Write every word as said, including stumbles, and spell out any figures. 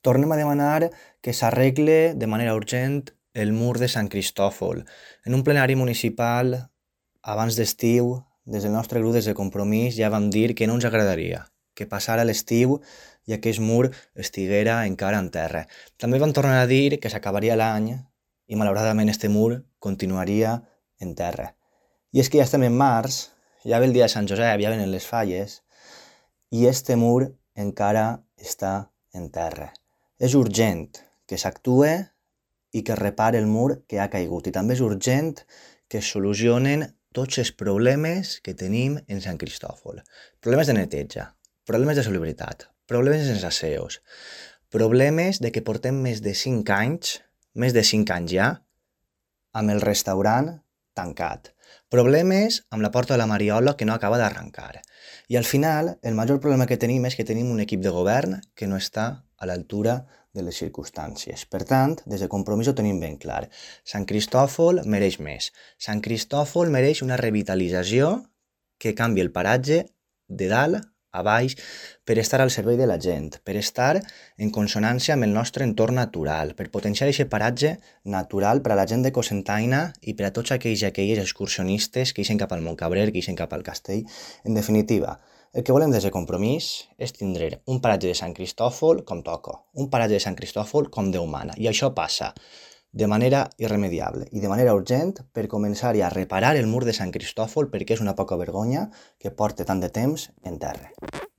Tornem a demanar que s'arregle de manera urgent el mur de Sant Cristòfol. En un plenari municipal, abans d'estiu, des del nostre grup, des de Compromís, ja vam dir que no ens agradaria que passara l'estiu i aquest mur estiguera encara en terra. També vam tornar a dir que s'acabaria l'any i, malauradament, este mur continuaria en terra. I és que ja estem en març, ja ve el dia de Sant Josep, ja venen les falles, i este mur encara està en terra. És urgent que s'actue i que es repare el mur que ha caigut. I també és urgent que es solucionen tots els problemes que tenim en Sant Cristòfol. Problemes de neteja, problemes de salubritat, problemes de sensacions, problemes de que portem més de cinc anys, més de cinc anys ja, amb el restaurant tancat. Problemes amb la porta de la Mariola que no acaba d'arrencar. I al final, el major problema que tenim és que tenim un equip de govern que no està a l'altura de les circumstàncies. Per tant, des de Compromís ho tenim ben clar. Sant Cristòfol mereix més. Sant Cristòfol mereix una revitalització que canvi el paratge de dalt a baix per estar al servei de la gent, per estar en consonància amb el nostre entorn natural, per potenciar aquest paratge natural per a la gent de Cocentaina i per a tots aquells i aquelles excursionistes que ixen cap al Montcabrer, que ixen cap al castell. En definitiva, el que volem des de Compromís és tindre un paratge de Sant Cristòfol com toca, un paratge de Sant Cristòfol com Déu mana, i això passa de manera irremediable i de manera urgent per començar a reparar el mur de Sant Cristòfol, perquè és una poca vergonya que porta tant de temps en terra.